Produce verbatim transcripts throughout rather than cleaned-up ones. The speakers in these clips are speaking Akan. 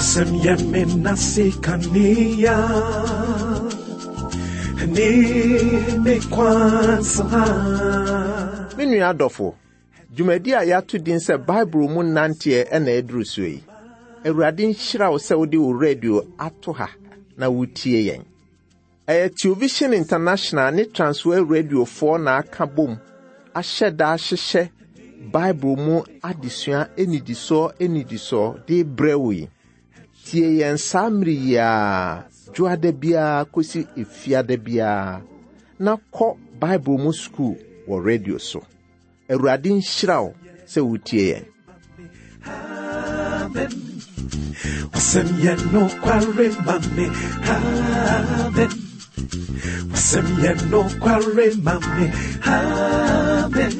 Wasɛm yɛ me nase kanea ne me kwan so ha. Me nua adɔfo, dwumadi a yɛato din sɛ Bible mu nanteɛ ɛna ɛduru so yi. Awurade nhyira wo sɛ wode wo radio ato ha na wotie yɛn. Ɛyɛ Television International ne Transworld Radiofoɔ na aka bom ahyɛ da ahyehyɛ Bible mu adesua anidisoɔ anidisoɔ de brɛ wo yi. Tie yɛn saa mmere yi ara, dwoada biara kɔsi efiada biara, na kɔ Bible mu sukuu wɔ radio so. Awurade nhyira wo sɛ wotie yɛn. Amen. Wasɛm yɛ nokware ma me. Amen. Wasɛm yɛ nokware ma me. Amen.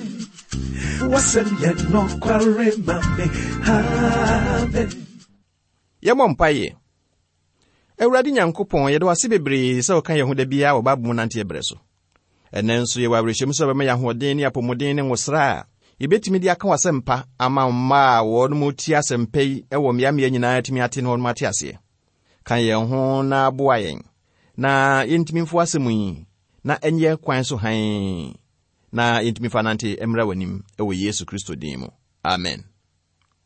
Wasɛm yɛ nokware ma me. Amen. Yɛmmɔ mpaeɛ. Awurade Nyankopɔn, yɛde wo ase bebree sɛ woka yɛn ho da biara wɔ Bible mu nanteɛ berɛ so. Ɛnnɛ nso yɛwɔ awerɛhyɛmu sɛ wobɛma yɛn ahoɔden ne apɔmuden ne nwosra a yɛbɛtumi de aka w'asɛmpa ama mma a wɔn mu tie asɛmpa yi wɔ mmeammea nyinaa atumi ate na wɔn ate aseɛ. Ka yɛn ho na boa yɛn na yɛntumi mfo asɛm yi na ɛnyɛ kwan so hann na yɛntumi fa nante mmra w'anim wɔ Yesu Kristo din mu. Amen.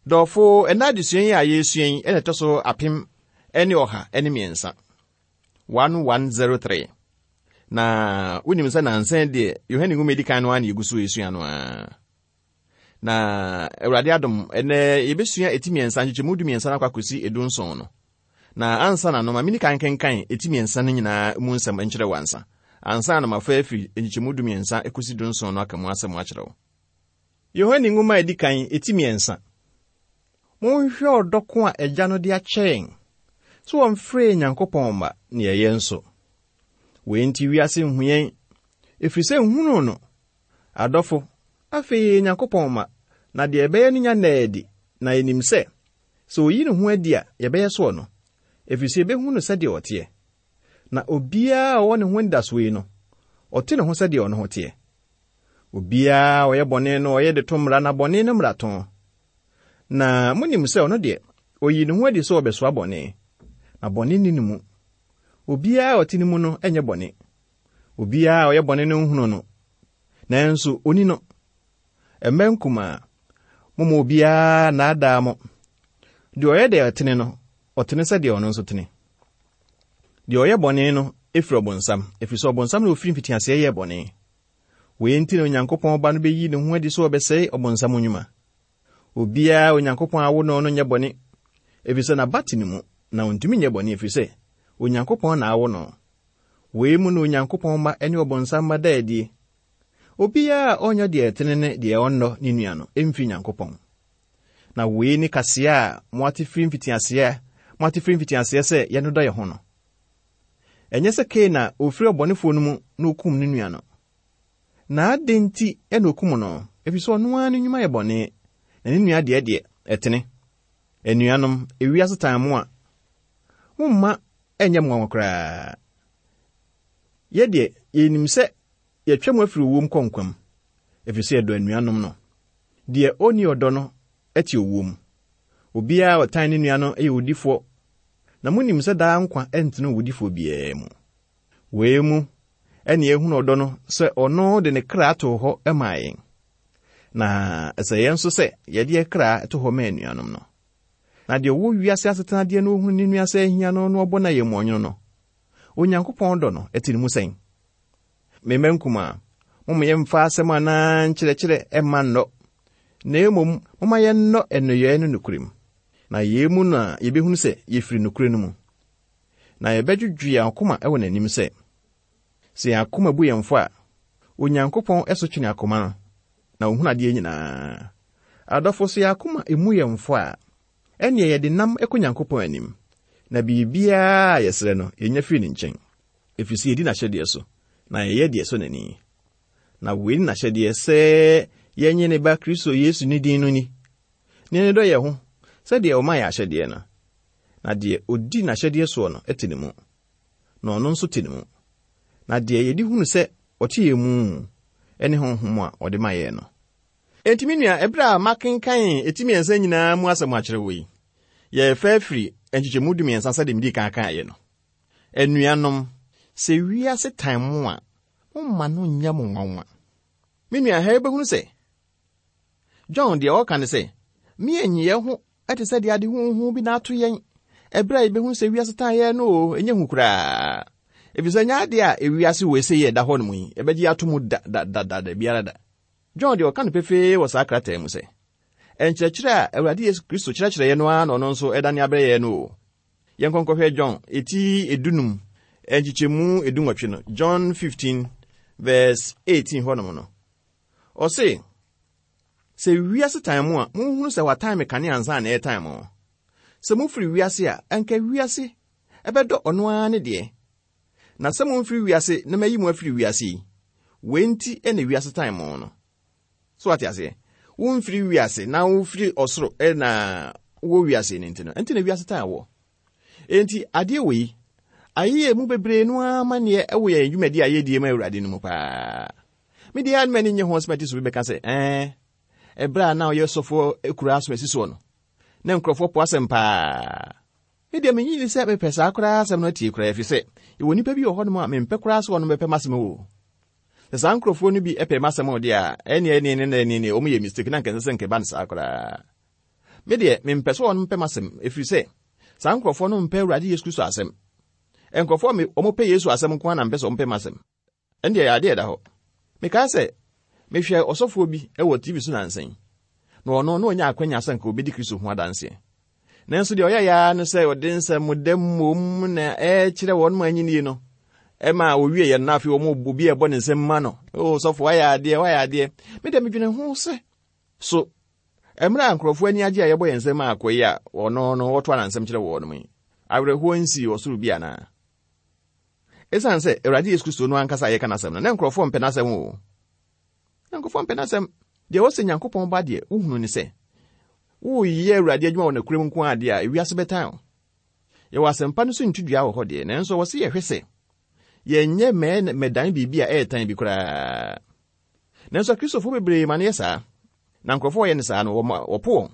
Dɔfo, ɛna adesua yi a yɛresua yi ɛna ɛtɔ so apem ne ɔha ne mmiɛnsa. one one zero three. Na wonim sɛ nansɛn deɛ Yohane nwoma edi kan no ara na yɛgu so yɛsua no ara. Na Awurade adom, ɛnɛ yɛbɛsua eti mmiɛnsa nkyekyɛmu du mmiɛnsa no akɔ akɔsi edu nson no. Na ansa na no, ma mini kan kenkan eti mmiɛnsa no nyinaa mu nsɛm nkyerɛ wo ansa. Ansa na mafa afiri nkyekyɛmu du mmiɛnsa ekosi du nson no aka mu asɛm akyerɛ wo. Yohane nwoma a edi kan, eti mmiɛnsa. Monhwɛ ɔdɔ ko a Agya no de akyɛ yɛn sɛ wɔmfrɛ Nyankopɔn mma ne yɛyɛ nso. Wei nti wiase nhu yɛn, ɛfiri sɛ nhunuu no. Adɔfo, afei yɛyɛ Nyankopɔn mma, na deɛ ɛbɛyɛ no nya nnaa adi, na yɛnim sɛ, sɛ oyi ne ho adi a, yɛbɛyɛ soɔ no, ɛfiri sɛ yɛbɛhu no sɛdeɛ ɔteɛ. Na obiara a ɔwɔ ne ho anidasoɔ yi no, ɔte ne ho sɛdeɛ ɔno ho teɛ. Obiara a ɔyɛ bɔne no, ɔyɛ de to mmara, na bɔne no mmarato. Na monim sɛ ɔno deɛ, oyi ne ho adi sɛ ɔbɛsoa bɔne, na bɔne nni ne mu. Obiara a ɔte ne mu no nyɛ bɔne. Obiara a ɔyɛ bɔne no nhunu no, nanso onni no. Mma nkumaa, momma obiara nnaadaa mo. Deɛ ɔyɛ deɛ ɔtene no, ɔtene sɛdeɛ ɔno nso tene. Deɛ ɔyɛ bɔne no efiri ɔbonsam, ɛfiri sɛ ɔbonsam na ofiri mfitiaseɛ yɛɛ bɔne. Wei nti na Onyankopɔn Ba no bɛyi ne ho adi sɛ ɔbɛsɛe ɔbonsam nnwuma. Obiara a Onyankopɔn awo no no nyɛ bɔne, ɛfiri sɛ n'aba te ne mu, na ontumi nyɛ bɔne ɛfiri sɛ Onyankopɔn na awo no. Wei mu na Onyankopɔn mma ne ɔbonsam mma da adie. Obiara a ɔnyɛ deɛ ɛtene ne deɛ ɔnnɔ ne nua no ɛmfiri Nyankopɔn. Na wei ne kaseɛ a moate firi mfitiaseɛ moate firi mfitiaseɛ sɛ yɛnnodɔ yɛn ho no. Ɛnyɛ sɛ Kain a ofiri ɔbɔnefoɔ no mu na okum ne nua no. Na adɛn nti ɛna okum no? Ɛfiri sɛ ɔno ara ne nnwuma yɛ bɔne, na ne nua deɛ deɛ ɛtene. Anuanom, ewiase tan mo a, momma ɛnyɛ mo nwanwa koraa. Yɛ deɛ, yɛnim sɛ yɛtwa mu afiri owuom kɔ nkwa mu, ɛfiri sɛ yɛdɔ anuanom no. Deɛ ɔnni ɔdɔ no te owuo mu. Obiara a ɔtan ne nua no yɛ owudifoɔ, na monim sɛ daa nkwa ntena owudifoɔ biara mu. Wei mu ɛne yɛhunu ɔdɔ no sɛ ɔno de ne kra too hɔ maa yɛn. Na ɛsɛ yɛn nso sɛ yɛde yɛn kra to hɔ ma anuanom no. Na deɛ ɔwɔ wiase asetenadeɛ no ohunu ne nua sɛ ahia no na ɔbɔ no ayɛmmoɔnwono no, Onyankopɔn dɔ no ɛte ne mu sɛn? Me mma nkumaa, momma yɛmfa asɛm anaa nkyerɛkyerɛ mma nnɔ, na mmom momma yɛnnɔ nneyɛe no nokorɛm. Na yei mu na yɛbɛhunu sɛ yɛfiri nokorɛ no mu. Na yɛbɛdwodwo yɛn akoma wɔ n'anim sɛ, sɛ yɛn akoma bu yɛn fɔ a, Onyankopɔn ɛso twene akoma no, na ohunu adeɛ nyinaa. Adɔfo, sɛ yɛn akoma emu yɛn fɔ a, ɛnneɛ yɛde nam kɔ Nyankopɔn anim, na biribiara a yɛsrɛ no, yɛnya firi ne nkyɛn. Ɛfiri sɛ yɛdi n'ahyɛdeɛ so, na yɛyɛ deɛ ɛsɔ n'ani. Na wei ne n'ahyɛdeɛ sɛ yɛnnye ne ba Kristo Yesu ne din no ni, na yɛnnodɔ yɛn ho sɛdeɛ ɔma yɛn ahyɛdeɛ no. Na deɛ odi n'ahyɛdeɛ soɔ no te ne mu, na ɔno nso te ne mu. Na deɛ yɛde hunu sɛ ɔte yɛn mu ne Honhom a ɔde ma yɛn no. Enti me nua, ɛberɛ a makenkan eti mmiɛnsa nyinaa mu asɛm akyerɛ wo yi, yɛrefa afiri nkyekyɛmu dumiɛnsa sɛdeɛ medi kan kaeɛ no. Anuanom, sɛ wiase tan mo a, momma no nyɛ mo nwanwa. Me nua, ha yɛbɛhunu sɛ John deɛ ɔka ne sɛ, me yɛn ho ɛte sɛ deɛ ade huhu bi na ato yɛn. Ɛberɛ a yɛbɛhunu sɛ wiase tan yɛn no o, ɛnyɛ hu koraa. Ɛfiri sɛ nyɛ adeɛ a ewiase wɔ ɛsɛ yɛ ɛda hɔ nom yi, ɛbɛgye ato mu da da da da da biara da. John deɛ ɔka no pefee wɔ saa krataa mu sɛ, ɛnkyerɛkyerɛ a Awurade Yesu Kristo kyerɛkyerɛ yɛn no ara na ɔno nso ɛdane abrɛ yɛn no o. Yɛnkɔ nkɔhwɛ John eti edunum nkyekyɛmu edunwɔtwe no, John fifteen verse eighteen hɔnom no. Ɔse, sɛ wiase tan mo a, monhunu sɛ watan me kane ansa na ɛretan mo. Sɛ mofiri wiase a, anka wiase ɛbɛdɔ ɔno ara ne deɛ. Na sɛ momfiri wiase na mayi mo afiri wiase yi, wei nti na wiase tan mo no. So wate aseɛ? Womfiri wiase na wofiri ɔsoro na wɔ wiase no nti no, ɛnti na wiase tan wɔ. Enti adeɛ wɔ yi, ayɛyɛ mu bebree no ara amanneɛ ɛwɔ yɛn dwumadi a yɛdie ma Awurade no mu paa. Me deɛ anum ani nye ho sɛ so bi bɛka sɛ, ɛɛ, ɛberɛ a na ɔyɛ sɔfoɔ ekura aso asi soɔ no, na nkurɔfoɔ po asɛm paa. Me deɛ menyi ni sɛ mepɛ saa koraa asɛm no atie koraa, ɛfiri sɛ yɛwɔ nnipa bi wɔ hɔnom a mempɛ koraa sɛ wɔnom bɛpɛ m'asɛm o. Sɛ saa nkurɔfoɔ no bi pɛ m'asɛm o deɛ a, ɛne ɛne ɛne ɛne ɛne wɔn yɛ mistake na nkɛnsɛ sɛ nkɛba no saa koraa. Me deɛ mempɛ sɛ wɔnom pɛ m'asɛm, ɛfiri sɛ saa nkurɔfoɔ no mpɛ Awurade Yesu Kristo asɛm. Nkurɔfoɔ a wɔpɛ Yesu asɛm nko ara na mpɛ sɛ wɔmpɛ m'asɛm. Ɛndeɛ ɛyɛ adeɛ ɛda hɔ. Mekae sɛ mehwɛ ɔsɔfoɔ bi wɔ T V so nansa yi, na ɔno na ɔnya akwanya sɛ nka obɛdi Kristo ho adanseɛ. Nanso deɛ ɔyɛ ya no sɛ ɔde nsɛm dɛm mmom na ɛkyerɛ wɔn ma anyini no. Ɛma owie yɛ no na afei wɔn obi a ɛbɔ ne nsɛm ma no. O sɔfo, wayɛ adeɛ, wayɛ adeɛ. Me deɛ medwene ho sɛ, so mmerɛ a nkurɔfoɔ ani agye a yɛbɔ yɛn nsɛm a akɔ yi a ɔno no wɔto anansɛm kyerɛ wɔn no yi, awerɛhoɔ nsi ɔsoro bi anaa? Ɛsiane sɛ Awurade Yesu Kristo no ankasa a yɛka n'asɛm no, na nkurɔfoɔ mpɛ n'asɛm o. Na nkurɔfoɔ mpɛ n'asɛm. Deɛ wɔsɛ Nyankopɔn ba deɛ, wohunu ne sɛ, woyɛ Awurade adwuma wɔ nokorɛ mu nko ara deɛ a, ewiase bɛtan wo. Yɛwɔ asɛmpa no so ntudua wɔ hɔ deɛ, nanso wɔse yɛhwɛ sɛ yɛnyɛ mɛɛ mɛdan biribi a ɛyɛ tan bi koraa. Nanso Akristofoɔ bebree ma no yɛ saa. Na nkurɔfoɔ wɔyɛ no saa no, wɔpo wɔn.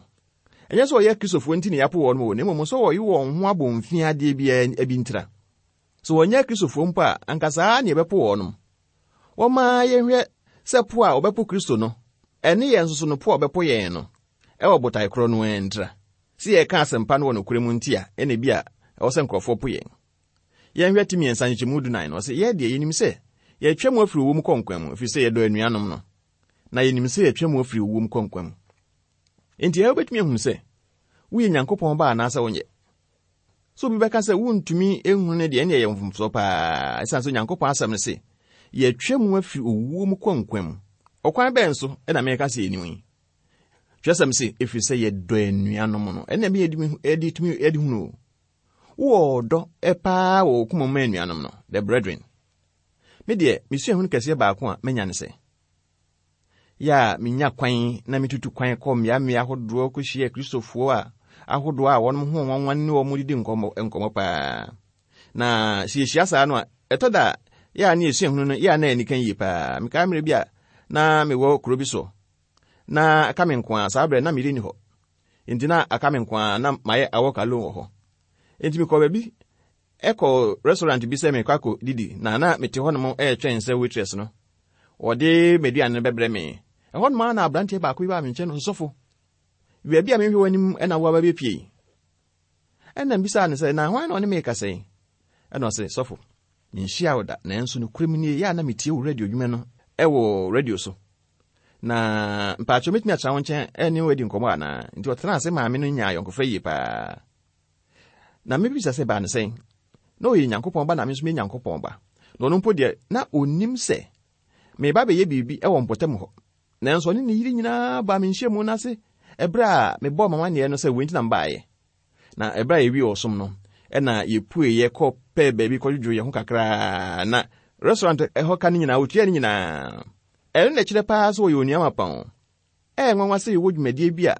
Ɛnyɛ sɛ wɔyɛ Akristofoɔ nti na yɛapo wɔn o, na mmom sɛ wɔyi wɔn ho abɔ mfiadeɛ biara bi ntira. Sɛ wɔnyɛ Akristofoɔ mpo a, anka saa na yɛbɛpo wɔn nom. Wɔma yɛhwɛ sɛ po a wɔbɛpo Kristo no, ɛne yɛn nso so no po a wɔbɛpo yɛn no, ɛwɔ botae korɔ no ara ntira. Sɛ yɛka asɛmpa no wɔ nokorɛ mu nti a, ɛna bi a ɛwɔ sɛ nkurɔfoɔ po yɛn. Yɛnhwɛ ti mmiɛnsa nkyekyɛmu dunan no, ɔsɛ yɛ deɛ yɛnim sɛ yɛtwa mu afiri owuo mu kɔ nkwa mu, ɛfiri sɛ yɛdɔ anuanom no. Na yɛnim sɛ yɛtwa mu afiri owuo mu kɔ nkwa mu. Enti ɛyɛ wobɛtumi ahunu sɛ woyɛ Nyankopɔn ba anaasɛ wonyɛ. Sɛ obi bɛka sɛ wontumi nhunu ne deɛ, ɛne ɛyɛ mfomsoɔ paa. Ɛsiane sɛ Onyankopɔn asɛm no se, yɛtwa mu afiri owuo mu kɔ nkwa mu. Ɔkwan bɛn so ɛna meka sɛ yɛnim yi? Twerɛsɛm se, ɛfiri sɛ yɛdɔ anuanom no. Ɛna ɛmi yɛde tumi yɛde hunu o. Wowɔ ɔdɔ paa wɔ wo koma mu anuanom no, the brethren. Me deɛ, mesua hunu kɛseɛ baako a manya ne sɛ, yɛ a menya kwan na metutu kwan kɔ mmeammea ahodoɔ kɔhyia Kristofoɔ a ahodoɔ a wɔnom ho nwanwa ne wɔn didi nkɔmmɔ, nkɔmmɔ paa. Na sɛ yɛhyia saa no a, ɛtɔ da a, yɛ a ne yɛsua hunu no, yɛ a na ani ka yie paa. Mekae mmerɛ bi a na mewɔ kuro bi so, na aka me nko a, saa berɛ na meyere ni hɔ. Enti na aka me nko a, na mayɛ awɔ alone wɔ hɔ. Enti mekɔ baabi, ɛkɔ restaurant bi sɛ mekɔ akɔ didi, na na mete hɔnom ɛretwɛn sɛ waitress no, wɔde m'aduane no bɛbrɛ me. Ɛhɔnom ara na aberanteɛ baako bi baa me nkyɛn no, sɔfo, baabi a mehwɛ w'anim ɛna wo aba bɛpie yi. Ɛna mbisaa no sɛ, na hwan na ɔne me rekasa yi? Ɛna ɔse, sɔfo, menhyia wo da, nanso nokorɛ mu nie, yɛ a na metie wo radio dwuma no ɛwɔ radio so. Na mpaakyɛw mɛtumi atena wo nkyɛn ɛne wo adi nkɔmmɔ anaa? Nti ɔtenaa ase maame no nyaa ayɔnkofa yie paa. Na mebisa sɛ baa no sɛn? Na ɔyɛ Nyankopɔn ba na me nso meyɛ Nyankopɔn ba. Na ɔno mpo deɛ, na ɔnim sɛ meba bɛyɛ biribi ɛwɔ mpɔtam hɔ. Nanso ɔne ne yere nyinaa baa me nhyiamu no ase ɛberɛ a mebɔɔ m'amanneɛ no sɛ wei nti na mbaeɛ. Na ɛberɛ a yɛwie ɔsom no, ɛna yɛpueeɛ kɔ pɛɛ baabi kɔdwodwo yɛn ho kakraa, na restaurant ɛhɔ ka no nyinaa, wɔtua no nyinaa. Ɛno na ɛkyerɛ paa sɛ wɔyɛ onua mapa o. Ɛyɛ nwanwa sɛ yɛwɔ dwumadie bi a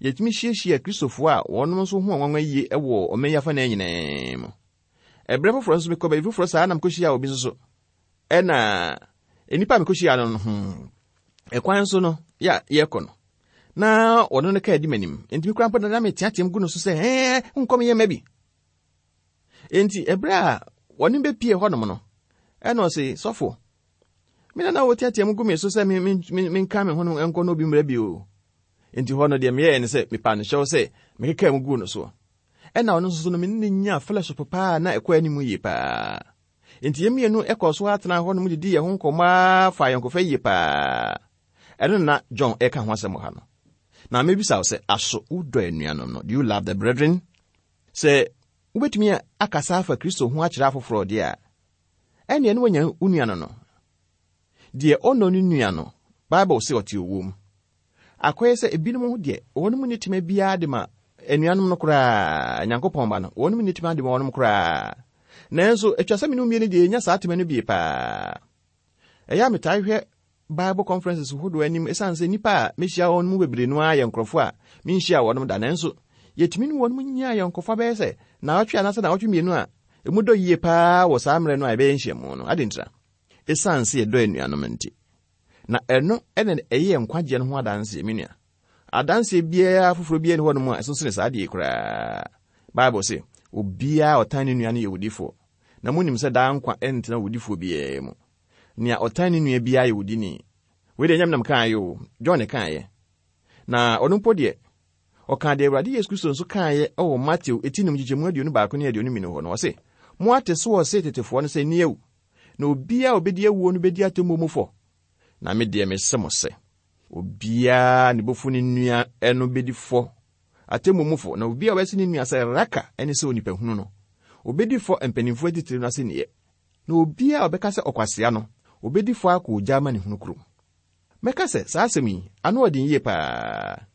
yɛtumi hyiahyia Kristofoɔ a wɔnom nso ho nwanwa yie ɛwɔ ɔman yi afanan nyinaa mu. Ɛberɛ foforɔ nso mekɔ baabi foforɔ saa na mekɔhyia obi nso so. Ɛna nnipa a mekɔhyia no no, hmm, ɛkwan so no, yɛ a yɛkɔ no, Na ɔno no kaa di m'anim. Enti me koraa mpo na meteateam gu no so sɛ, ɛɛ, nkɔm yɛ mma bi. Enti ɛberɛ a wɔne bɛpie hɔnom no, ɛna ɔse, sɔfo, me na na wɔteateam gu me so sɛ menka me ho no nkɔ no obi mmerɛ bi o. Enti hɔ no deɛ meyɛɛ ne sɛ mepa no hyɛw sɛ mekekaa mu guu no soɔ. Ɛna ɔno nso so no me ne nyaa fellowship paa na ɛkɔ anim yie paa. Enti yɛn mmienu ɛkɔɔ so atena hɔ nom didi yɛn ho nkɔmmɔ fa ayɔnkofa yie paa. Ɛno na John ɛka ho asɛm wɔ ha no. Na mebisa wo sɛ, aso wodɔ anuanom no? Do you love the brethren? Sɛ wobɛtumi akasa afa Kristo ho akyerɛ afoforɔ deɛ a, ɛnneɛ ne wanya wo nua no no. Deɛ ɔnnɔ ne nua no, Bible sɛ ɔte owuo mu. Akɔyɛ sɛ ebinom ho deɛ, wɔnom nni tema biara de ma anuanom no koraa, Nyankopɔn ba no, wɔnom nni tema de ma wɔnom koraa. Nanso, atwa sɛ me ne wo mmienu deɛ yɛnya saa tema no bie paa. Ɛyɛ a metaa hwɛ Bible conferences hodoɔ anim ɛsiane sɛ nnipa a mehyia wɔn mu bebree no ara yɛ nkurɔfoɔ a menhyia wɔnom da, nanso yɛtumi ne wɔnom nyaa yɔnkofa bɛyɛ sɛ naawɔtwe anaasɛ naawɔtwe mmienu a emu dɔ yie paa wɔ saa mmerɛ no a yɛbɛyɛ nhyiamu no. Ade ntira, ɛsiane sɛ yɛdɔ anuanom nti. Na ɛno ɛna ɛyɛ nkwagyeɛ no ho adanseɛ, me nua. Adanseɛ biara foforɔ biara ni hɔnom a ɛso sene saa adeɛ koraa. Bible se, obiara a ɔtan ne nua no yɛ owudifoɔ. Na monim sɛ daa nkwa ɛntena owudifoɔ biara mu. Nea ɔtan ne nua biara yɛ owudini. Wei deɛ ɛnyɛ me na mekaeɛ o, John kaeɛ. Na ɔno mpo deɛ, ɔkaa deɛ Awurade Yesu Kristo nso kaeɛ wɔ Mateo eti num nkyekyɛmu aduonu baako ne aduonu mmienu hɔ no, ɔse, moate so wɔ se tetefoɔ no sɛ nni awu, na obiara a obɛdi awuo no bɛdi atemmuo mu fɔ. Na me deɛ mese mo sɛ, obiara ne bɔfu ne nua no bɛdi fɔ atemmuo mu fɔ, na obiara a ɔbɛse ne nua sɛ raka ne sɛ onipa hunu no, obɛdi fɔ mpanimfoɔ atitire no asɛnniiɛ. Na obiara a ɔbɛka sɛ ɔkwasea no, obɛdi fɔ akɔ ogya ama ne hunu kurom. Mɛka sɛ saa asɛm yi, ano ɔden yie paa.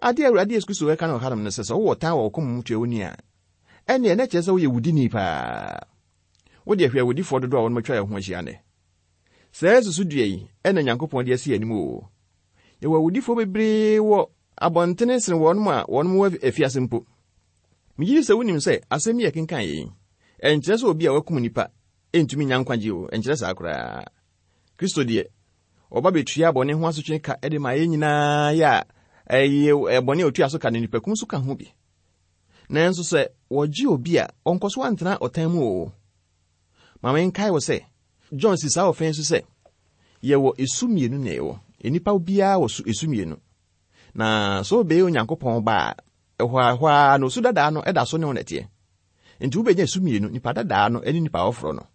Adeɛ a Awurade Yesu Kristo ɛka no wɔ hanom no sɛ, sɛ wowɔ tan wɔ wo kɔn mu tua wo nua a, ɛnneɛ na kyerɛ sɛ woyɛ wudini paa. Wode ahwɛ awudifoɔ dodoɔ a wɔnom atwa yɛn ho ahyia nnɛ. Saa susudua yi ɛna Nyankopɔn de asi anim o. Yɛwɔ awudifoɔ bebree wɔ abɔntene sene wɔnom a wɔnom wɔ afiase mpo. Megye di sɛ wonim sɛ asɛm yi a ɛkenkan yɛ yi, ɛnkyerɛ sɛ obi a wakum nipa ɛntumi nya nkwagye o, ɛnkyerɛ saa koraa. Kristo deɛ, ɔba bɛtua bɔne ho asotwe ka de ma yɛn nyinaa yɛ a ɛyɛ bɔne a otua so ka no nipakum so ka ho bi. Nanso sɛ wɔgye obi a, ɔnkɔ so antena ɔtan mu o. Ma menkae wo sɛ, John si saa ɔfɛn so sɛ, yɛwɔ esu mmienu na ɛwɔ. Nnipa biara wɔ su esu mmienu. Na sɛ wobɛyɛ Onyankopɔn ba a, ɛhɔ a ɛhɔ a na osu dadaa no ɛda so ne wo nɛteɛ. Nti wobɛnya esu mmienu, nipa dadaa no ne nipa foforɔ no.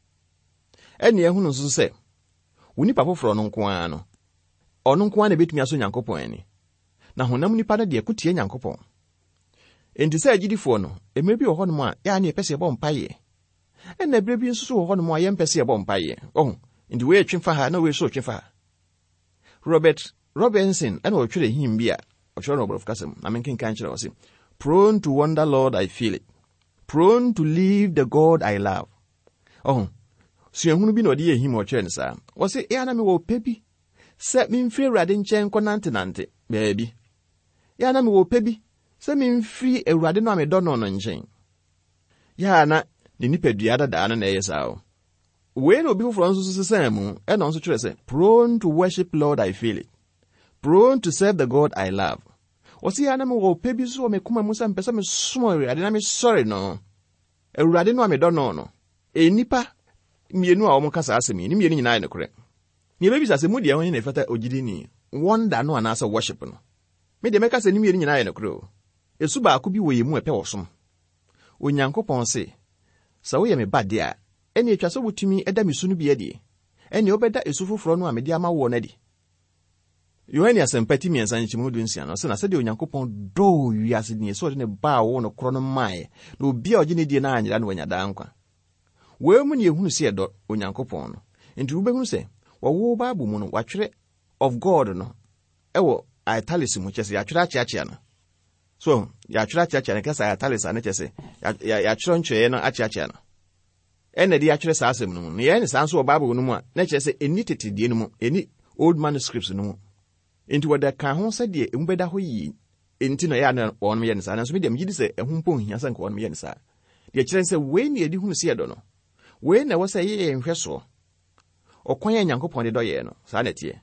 Ɛne ɛhunu nso sɛ, wo nipa foforɔ no nko ara no, ɔno nko ara na ebɛtumi asɔ Nyankopɔn ani. Na honam nipa no deɛ ko tia Nyankopɔn. Enti sɛ agyidifoɔ no, mmerɛ bi wɔ hɔnom a yɛa ne yɛpɛ sɛ yɛbɔ mpaeɛ. Ɛna berɛ bi nso so wɔ hɔnom a yɛmpɛ sɛ yɛbɔ mpaeɛ. Ɔho, nti wei twe fa ha na wei nso twe fa ha. Robert Robinson ɛna ɔtwerɛ hymn bi a ɔtwerɛ no wɔ borɔfo kasa mu, na menkenkan kyerɛ wɔ se, prone to wander, Lord, I feel it. Prone to leave the God I love. Ɔho, suahunu bi na ɔde yɛ hymn a ɔtwerɛ no saa. Ɔse, ɛyɛ na mewɔ pɛ bi sɛ memfiri Awurade nkyɛn nkɔnantenante baabi. Ɛyɛ na mewɔ pɛ bi sɛ memfiri Awurade no a medɔ no no nkyɛn. Yɛ na ne nipadua dadaa no na ɛyɛ saa o. Wei na obi foforɔ nso so sesaa mu, ɛna ɔnso kyerɛ sɛ, prone to worship, Lord, I feel it. Prone to serve the God I love. Ɔse yɛ na mewɔ pɛ bi so wɔ me koma mu sɛ mpɛ sɛ mesom Awurade na mesɔre no. Awurade no a medɔ no no. Nnipa mmienu a wɔn ka saa asɛm yi, ne mmienu nyinaa yɛ nokorɛ. Nea ɛbɛbisa sɛ mu deɛ ho ne ɛfata ogyidini, wander no anaasɛ worship no. Me deɛ mɛka sɛ ne mmienu nyinaa yɛ nokorɛ o. Esu baako bi wɔ yɛn mu a ɛpɛ wɔ Onyankopɔn se, sɛ woyɛ me ba deɛ a, ɛne atwa sɛ wotumi ɛda me su no bi adi. Ɛne wobɛda esu foforɔ no a mede ama woɔ no adi. Yohane Asɛmpa ti mmiɛnsa nkyɛmu du nsia no, ɔsɛ na sɛdeɛ Onyankopɔn dɔɔ wiase nie sɛ ɔde ne ba a ɔwɔ no korɔ no maeɛ, na obi a ɔgye ne die no anyera no wanya daa nkwa. Wei mu ne yɛhunu sɛ yɛdɔ Onyankopɔn no. Nti wobɛhunu sɛ wɔwɔ Bible mu no, wɔatwerɛ of God no ɛwɔ italics mu, kyerɛ sɛ yɛatwerɛ akyeakyea no. So yɛatwerɛ akyeakyea no, kasa italics a ne kyerɛ sɛ yɛatwerɛ ntwerɛeɛ no akyeakyea no. Ɛna de yɛatwerɛ saa asɛm no mu. Na yɛyɛ ne saa nso wɔ Bible no mu a, na kyerɛ sɛ ɛnni tete deɛ no mu, ɛnni old manuscripts no mu. Nti wɔde ka ho sɛdeɛ emu bɛda hɔ yie. Nti na ɛyɛ a na wɔnom yɛ ne saa. Nanso me deɛ megye di sɛ ɛho mpo nhia sɛ nka wɔnom yɛ ne saa. Deɛ kyerɛ sɛ wei ne yɛde hunu sɛ yɛdɔ no. Wei na ɛwɔ sɛ ɛyɛ yɛn nhwɛsoɔ. Ɔkwan a Nyankopɔn de dɔ yɛn no, saa na ɛteɛ.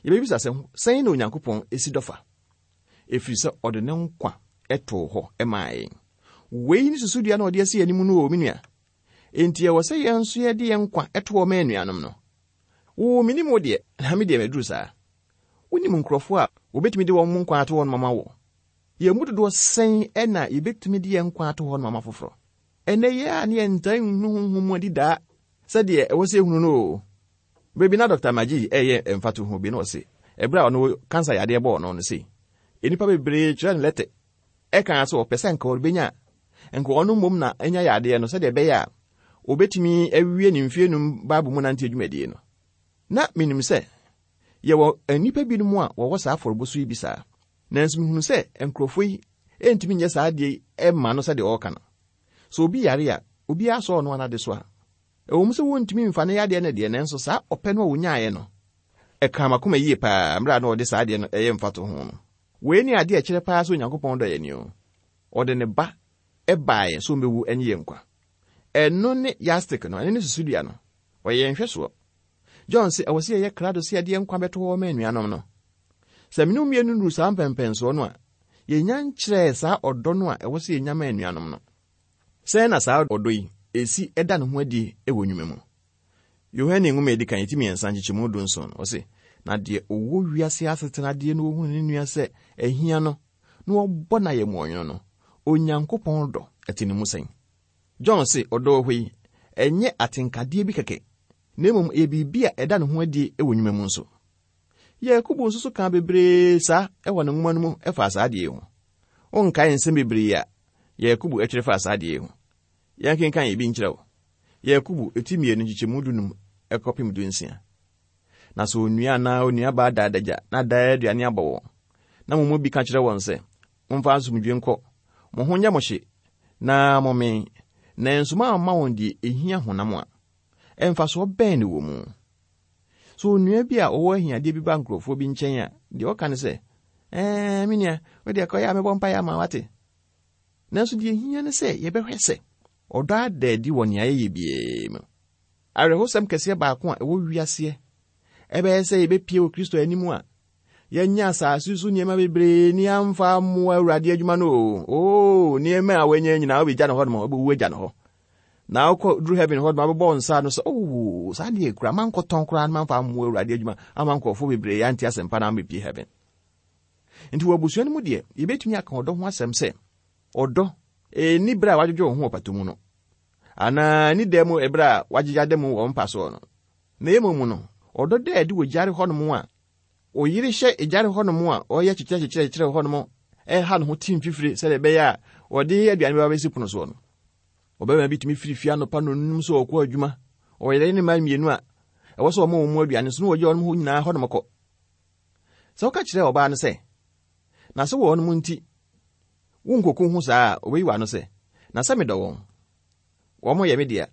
Yɛbɛbisa sɛ, sɛn na Onyankopɔn esi dɔ fa? Ɛfiri sɛ ɔde ne nkwa ɛtoo hɔ ɛmaa yɛn. Wei ne susudua na ɔde asi anim no wɔ me nua. Enti ɛwɔ sɛ yɛn nso yɛde yɛn nkwa ɛto hɔ ma anuanom no. Wo menim wo deɛ, na me deɛ maduru saa. Wonim nkurɔfoɔ a wɔbɛtumi de wɔn mu nkwa ato hɔ no mama wɔ. Yɛn mu dodoɔ sɛn ɛna yɛbɛtumi de yɛn nkwa ato hɔ no mama foforɔ? Ɛnɛ yɛ a ne yɛntaa nhunu honhom mu adi daa sɛdeɛ ɛwɔ sɛ ehunu no o. Baabi na Doctor Magee ɛyɛ mfatoho bi na ɔse, ɛberɛ a ɔno kansa yadeɛ bɔɔ no no sei, nnipa bebree kyerɛ no lɛtɛ ɛka sɛ ɔpɛ sɛ nka ɔbɛnya nka ɔno mmom na anya yadeɛ no sɛdeɛ ɛbɛyɛ a obɛtumi awie ne mfie num Bible mu nante adwumadie no. Na menim sɛ yɛwɔ nnipa binom a wɔwɔ saa afɔrebɔ so yi bi saa. Nanso mehunu sɛ nkurɔfoɔ yi ɛntumi nyɛ saa adeɛ yi ɛmma no sɛdeɛ ɔreka no. Sɛ obi yare a, obiara sɔɔ no anade so a, ɛwɔ mu sɛ wɔntumi mfa ne yadeɛ no deɛ, nanso saa ɔpɛ no a wɔnyaeɛ no, ɛkaa m'akoma yie paa mmerɛ a na ɔde saa adeɛ no ɛyɛ mfatoho no. Wei ne adeɛ a ɛkyerɛ paa sɛ Onyankopɔn dɔ yɛn ni o. Ɔde ne ba ɛbaeɛ sɛ ɔmmɛwu ɛnye yɛn nkwa. Ɛno ne yardstick no, ɛno ne susudua no. Ɔyɛ yɛn nhwɛsoɔ. John sɛ ɛwɔ sɛ yɛyɛ krado sɛ yɛde yɛn nkwa bɛto hɔ ma anuanom no. Sɛ mene mmienu nuru saa mpɛmpɛnsoɔ no a, yɛnya nkyerɛɛ saa ɔdɔ no a ɛwɔ sɛ yɛnya ma anuanom no. Sɛn na saa ɔdɔ yi esi ɛda ne ho adi wɔ nnwuma mu? Yohane nwoma a edi kan eti mmiɛnsa nkyekyɛmu du nson no, ɔse, na deɛ ɔwɔ wiase asetenadeɛ no ohunu ne nua sɛ ahia no, na ɔbɔ n'ayɛmmoɔnwono no, Onyankopɔn dɔ ɛte ne mu sɛn? John se ɔdɔ hɔ yi, ɛnyɛ atenkadeɛ bi kɛkɛ, na mmom ɛyɛ biribi a ɛda ne ho adi wɔ nnwuma mu nso. Yakobo nso so ka bebree saa ɛwɔ ne nwoma no mu ɛfa saa adeɛ yi ho. Wonkae nsɛm bebree a Yakobo ɛtwerɛ fa saa adeɛ yi ho. Yɛnkenkan ebi nkyerɛ wo. Yakobo eti mmienu nkyekyɛmu dunum ɛkɔpem du nsia. Na sɛ onua anaa onua baa da adagya na daa aduane abɔ wɔn, na mo mu bi ka kyerɛ wɔn sɛ, momfa asomdwe nkɔ, mo ho nyɛ mo hye, na mommee, nanso moamma wɔn deɛ ehia honam a, ɛmfasoɔ bɛn ne wɔ mu? So onua bi a ɔwɔ ahiadeɛ bi ba nkurɔfoɔ bi nkyɛn a, deɛ ɔka ne sɛ, ɛɛ, me nua, wo deɛ kɔyɛ a mɛbɔ mpaeɛ ama wate. Nanso deɛ ehia ne sɛ yɛbɛhwɛ sɛ ɔdɔ ada adi wɔ nea yɛyɛ biara mu. Awerɛhosɛm kɛseɛ baako a ɛwɔ wiaseɛ, ɛbɛyɛ sɛ yɛbɛpie wɔ Kristo anim a, yɛanya asase so nneɛma bebree ni amfa mmoa Awurade adwuma no o. Oo, nneɛma a wɔanya nyinaa wobɛgya no hɔ nom, wobɛwu agya no hɔ. Na wokɔ duru heaven hɔ nom, abɛbɔ wo nsa no sɛ, oo, saa deɛ kura, mankɔtɔn koraa no mamfa mmoa Awurade adwuma ama nkurɔfoɔ bebree ante asɛmpa na ambɛpie heaven. Nti wɔ abusua no mu deɛ, yɛbɛtumi aka ɔdɔ ho asɛm sɛ, ɔdɔ ɛnni berɛ a wadwodwo wo ho wɔ pato mu no, anaa ni da mu ɛberɛ a wagyegya da mu wɔ mpa soɔ no. Na mmom no, ɔdɔ da adi wɔ gyare hɔnom a, oyere hyɛ gyare hɔnom a ɔyɛ kyekyerɛ kyekyerɛ hɔnom ɛha ne ho tim fifire sɛdeɛ ɛbɛyɛ a ɔde aduane bɛba bɛsi pono soɔ no. Ɔbarima bi tumi firi fie anɔpa nonum sɛ ɔkɔ adwuma, ɔyere ne mma mmienu a ɛwɔ sɛ ɔma wɔn mu aduane so na wɔgye wɔn ho nyinaa hɔnom kɔ. Sɛ woka kyerɛ ɔbaa no sɛ, na sɛ wɔn mu nti wonkoko ho saa a, ɔbɛyi w'ano sɛ, na sɛ medɔ wɔn, wɔn yɛ me dea.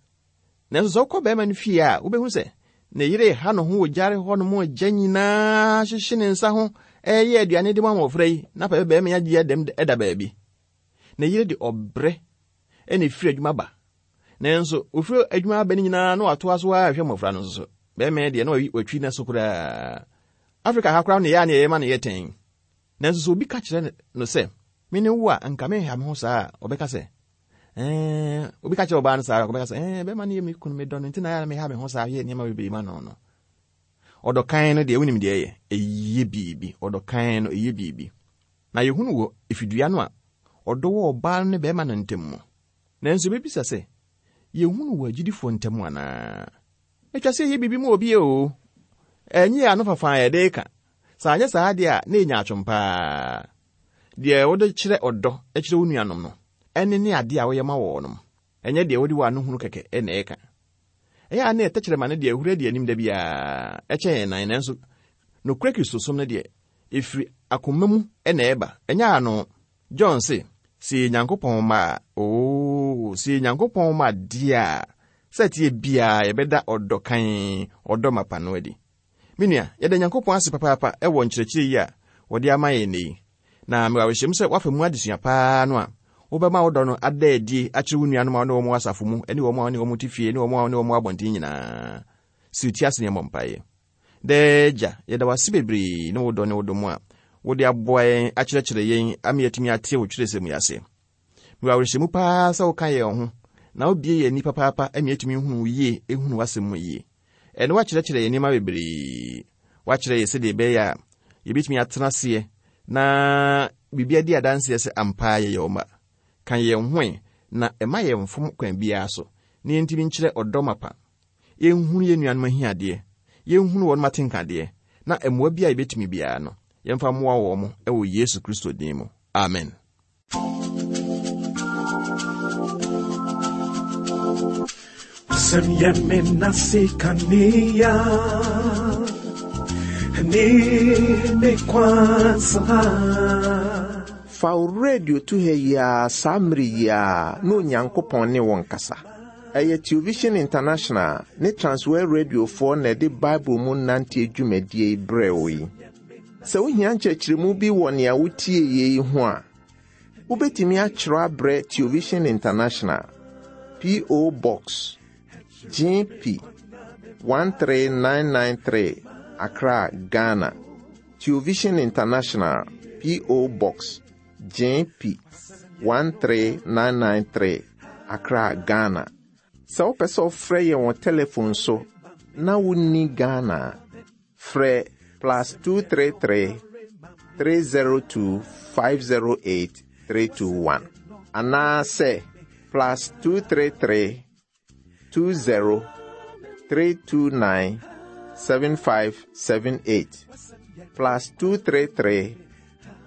Nanso sɛ wokɔ barima no fie a, wobɛhu sɛ ne yere ha ne ho wɔ gyare hɔnom agya nyinaa hyehye ne nsa ho ɛyɛ aduane de ma mmɔfra yi, na pɛ barima yi agye dɛm ɛda baabi. Ne yere de ɔbrɛ ɛna efiri adwuma ba. Nanso ofiri adwuma aba no nyinaa na watoa so ara hwɛ mmɔfra no nso so. Barima yi deɛ na watwi ne so koraa. Afrika ha koraa ne yɛ a ne yɛyɛ ma no yɛ tɛn. Nanso sɛ obi ka kyerɛ no sɛ, me ne wo a nka menha me ho saa a, ɔbɛka sɛ, ɛɛ, obi ka kyerɛ ɔbaa no saa a, ɔbɛka sɛ, ɛɛ, bɛrima no yɛ me kunu, medɔ no, nti na yɛ a meha me ho saa, yɛ nneɛma bebree ma no no. Ɔdɔ kan no deɛ, wonim deɛ ɛyɛ, ɛyɛ biribi. Ɔdɔ kan no, ɛyɛ biribi. Na yɛhunu wɔ efidua no a, ɔdɔ wɔ ɔbaa no ne bɛrima no ntam mu. Nanso yɛbɛbisa sɛ, yɛhunu wɔ agyidifoɔ ntam anaa? Atwa sɛ ɛyɛ biribi ma obi o. Ɛnyɛ ano fafa a yɛde ka. Sɛ anyɛ saa deɛ a, na ɛnya atwom paa. Deɛ wode kyerɛ ɔdɔ kyerɛ wo nuanom no, ɛne ne adeɛ a woyɛ ma wɔnom. Ɛnyɛ deɛ wode w'ano hunu kɛkɛ ɛna ɛka. Ɛyɛ a na ɛtɛkyerɛma no deɛ ɛhuru adi anim da biara, ɛkyɛn yɛn nan, nanso nokorɛ Kristosom no deɛ, ɛfiri akoma mu ɛna ɛba, ɛnyɛ ano. John se, sɛ yɛ Nyankopɔn mma a, oo, sɛ yɛ Nyankopɔn mma deɛ a, sɛ ɛteɛ biara yɛbɛda ɔdɔ kann, ɔdɔ mapa no adi. Me nua, yɛda Nyankopɔn ase papaapa ɛwɔ nkyerɛkyerɛ yi a wɔde ama yɛn nnɛ yi. Na mewɔ awerɛhyɛm sɛ woafa mu adesua paa no a, wobɛma wo dɔ no ada adi akyerɛ wo nuanom a wo ne wɔn wɔ asafo mu, ne wɔn a wo ne wɔn te fie, ne wɔn a wo ne wɔn wɔ abɔnten nyinaa. Si wo ti ase ne yɛmmɔ mpaeɛ. Daa Agya, yɛda wo ase bebree ne wo dɔ ne wo dɔ mu a Wode aboa yɛn akyerɛkyerɛ yɛn ama yɛatumi ate wo twerɛsɛm yi ase. Mewɔ awerɛhyɛmu paa sɛ woka yɛn ho na wobie yɛn ani papaapa ama yɛatumi hunu wo yie, ehunu w'asɛm mu yie. Ɛne woakyerɛkyerɛ yɛn nneɛma bebree. Woakyerɛ yɛ sɛdeɛ ɛbɛyɛ a yɛbɛtumi atena aseɛ na biribi adi adanseɛ sɛ ampa yɛyɛ wo mma. Ka yɛn ho na ɛma yɛn mfom kwan biara so na yɛntumi nkyerɛ ɔdɔ mapa. Yɛnhunu yɛn nuanom ahiadeɛ, yɛnhunu wɔn atenkadeɛ, na mmoa bi a yɛbɛtumi biara no, yɛmfa mmoa wɔn mo wɔ Yesu Kristo din mu. Amen. Wasɛm yɛ me nase kanea ne me kwansa. Fa wo radio to ha yi ara saa mmere yi ara na Onyankopɔn ne wo nkasa. Ɛyɛ Television International ne Transworld Radiofoɔ na ɛde Bible mu nante dwumadie yi brɛ wo yi. Sɛ wohia nkyerɛkyerɛmu bi wɔ nea wotie yi ho a, wobɛtumi akyerɛw abrɛ Television International, P O. Box G P one three nine nine three, Accra, Ghana. Television International, P O. Box G P one three nine nine three, Accra, Ghana. Sɛ wopɛ sɛ wofrɛ yɛn wɔ telephone so na wonni Ghana a, frɛ plus two three three, three zero two five zero eight three two one anaasɛ plus two three three, two zero three two nine seven five seven eight, plus two three three,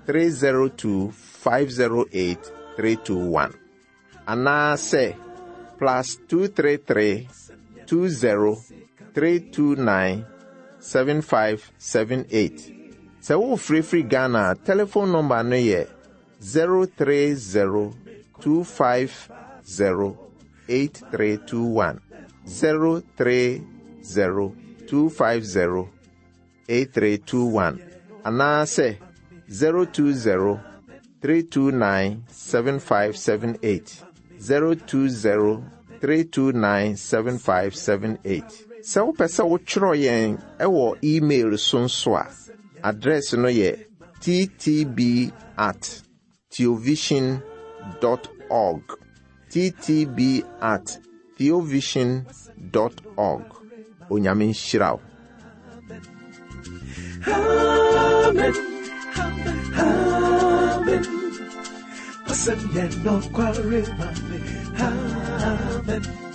three zero two five zero eight three two one anaasɛ plus two three three, two zero three two nine seven five seven eight. Sɛ wofirifiri Ghana a, telephone number no yɛ zero three zero two five zero eight three two one, zero three zero two five zero eight three two one anaasɛ zero two zero three two nine seven five seven eight, zero two zero three two nine seven five seven eight. Sɛ wopɛ sɛ wotwerɛ yɛn ɛwɔ email so nso a, address no yɛ T T B at theovision dot org, T T B at theovision dot org. Onyame nhyira wo. Amen. Amen. Wasɛm yɛ nokware ma me. Amen.